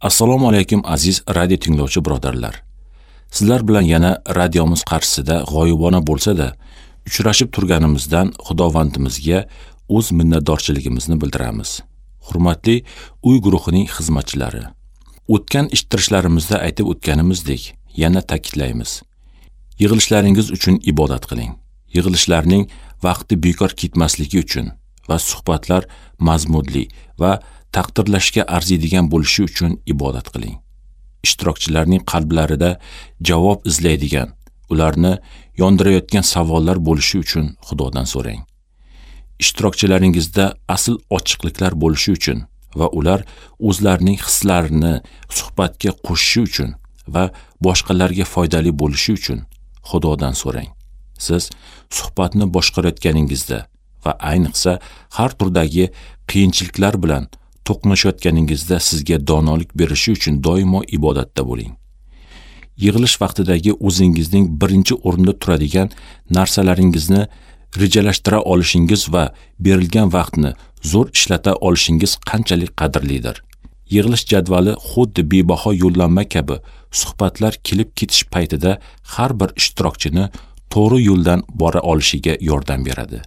Assalomu alaykum aziz radio tinglovchi birodarlar. Sizlar bilan yana radiomiz qarshisida g'oyibona bo'lsa-da uchrashib turganimizdan Xudovandimizga o'z minnatdorchiligimizni bildiramiz. Hurmatli uy guruhining xizmatchilari, o'tgan eshittirishlarimizda aytib o'tganimizdek, yana ta'kidlaymiz. Yig'ilishlaringiz uchun ibodat qiling. Yig'ilishlarning vaqti bekor ketmasligi uchun va suhbatlar mazmunli va taqdirlashga arziydigan bo'lishi uchun ibodat qiling. Ishtirokchilarning qalblarida javob izlaydigan, ularni yondirayotgan savollar bo'lishi uchun Xudodan so'rang. Ishtirokchilaringizda asl ochiqliklar bo'lishi uchun va ular o'zlarining hislarini suhbatga qo'shishi uchun va boshqalarga foydali bo'lishi uchun Xudodan so'rang. Siz suhbatni boshqarayotganingizda va ayniqsa har turdagi qiyinchiliklar bilan to'qnashayotganingizda sizga donolik berishi uchun doimo ibodatda bo'ling. Yig'ilish vaqtidagi o'zingizning birinchi o'rinda turadigan narsalaringizni rejalashtira olishingiz va berilgan vaqtni zo'r ishlata olishingiz qanchalik qadrlidir. Yig'ilish jadvali xuddi bebaho yo'llanma kabi suhbatlar kelib ketish paytida har bir ishtirokchini to'g'ri yo'ldan bora olishiga yordam beradi.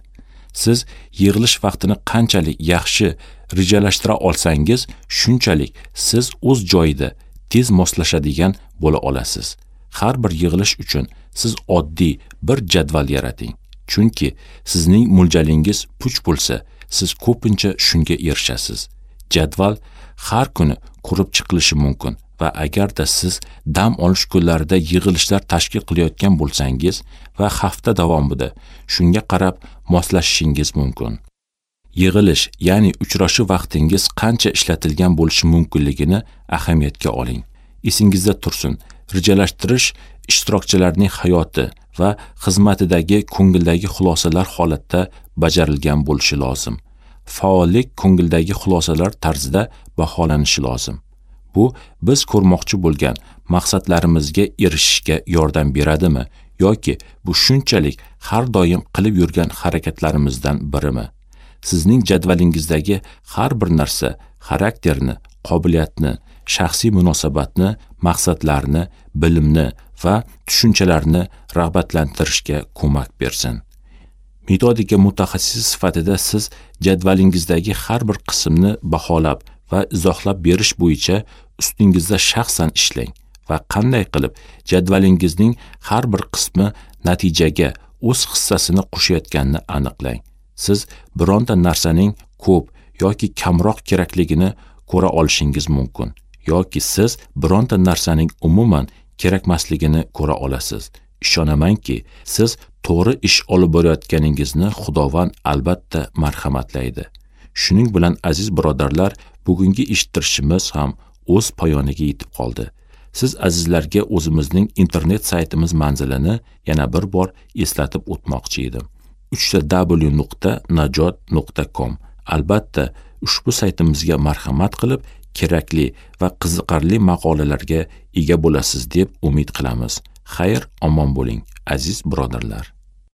Siz yig'ilish vaqtini qanchalik yaxshi rejalashtira olsangiz, shunchalik siz o'z joyida tez moslashadigan bo'la olasiz. Har bir yig'ilish uchun siz oddiy bir jadval yarating. Chunki sizning mo'ljalingiz puch bo'lsa, siz ko'pincha shunga erishasiz. Jadval har kuni ko'rib chiqilishi mumkin va agarda siz dam olish kunlarida yig'ilishlar tashkil qilayotgan bo'lsangiz va hafta davomida shunga qarab moslashishingiz mumkin. Yig'ilish, ya'ni uchrashuv vaqtingiz qancha ishlatilgan bo'lishi mumkinligini ahamiyatga oling. Esingizda tursin, rejalashtirish ishtirokchilarning hayoti va xizmatidagi ko'ngildagi xulosalar holatda bajarilgan bo'lishi lozim. Faollik ko'ngildagi xulosalar tarzida baholanishi lozim. Bu biz ko'rmoqchi bo'lgan maqsadlarimizga erishishga yordam beradimi yoki bu shunchalik har doim qilib yurgan harakatlarimizdan birimi? Sizning jadvalingizdagi har bir narsa xarakterni, qobiliyatni, shaxsiy munosabatni, maqsadlarni, bilimni va tushunchalarni rag'batlantirishga ko'mak bersin. Metodika mutaxassisi sifatida siz jadvalingizdagi har bir qismni baholab va izohlab berish bo'yicha ustingizda shaxsan ishlang va qanday qilib jadvalingizning har bir qismi natijaga o'z hissasini qo'shayotganini aniqlang. Siz bironta narsaning ko'p yoki kamroq kerakligini ko'ra olishingiz mumkin yoki siz bironta narsaning umuman kerakmasligini ko'ra olasiz. Ishonamanki, siz to'g'ri ish olib borayotganingizni Xudovand albatta marhamatlaydi. Shuning bilan aziz birodarlar, bugungi eshittirishimiz ham o'z poyoniga yetib qoldi. Siz azizlarga o'zimizning internet saytimiz manzilini yana bir bor eslatib o'tmoqchi edim. www.najot.com. Albatta, ushbu saytimizga marhamat qilib, kerakli va qiziqarli maqolalarga ega bo'lasiz deb umid qilamiz. Xayr, omon bo'ling, aziz birodarlar.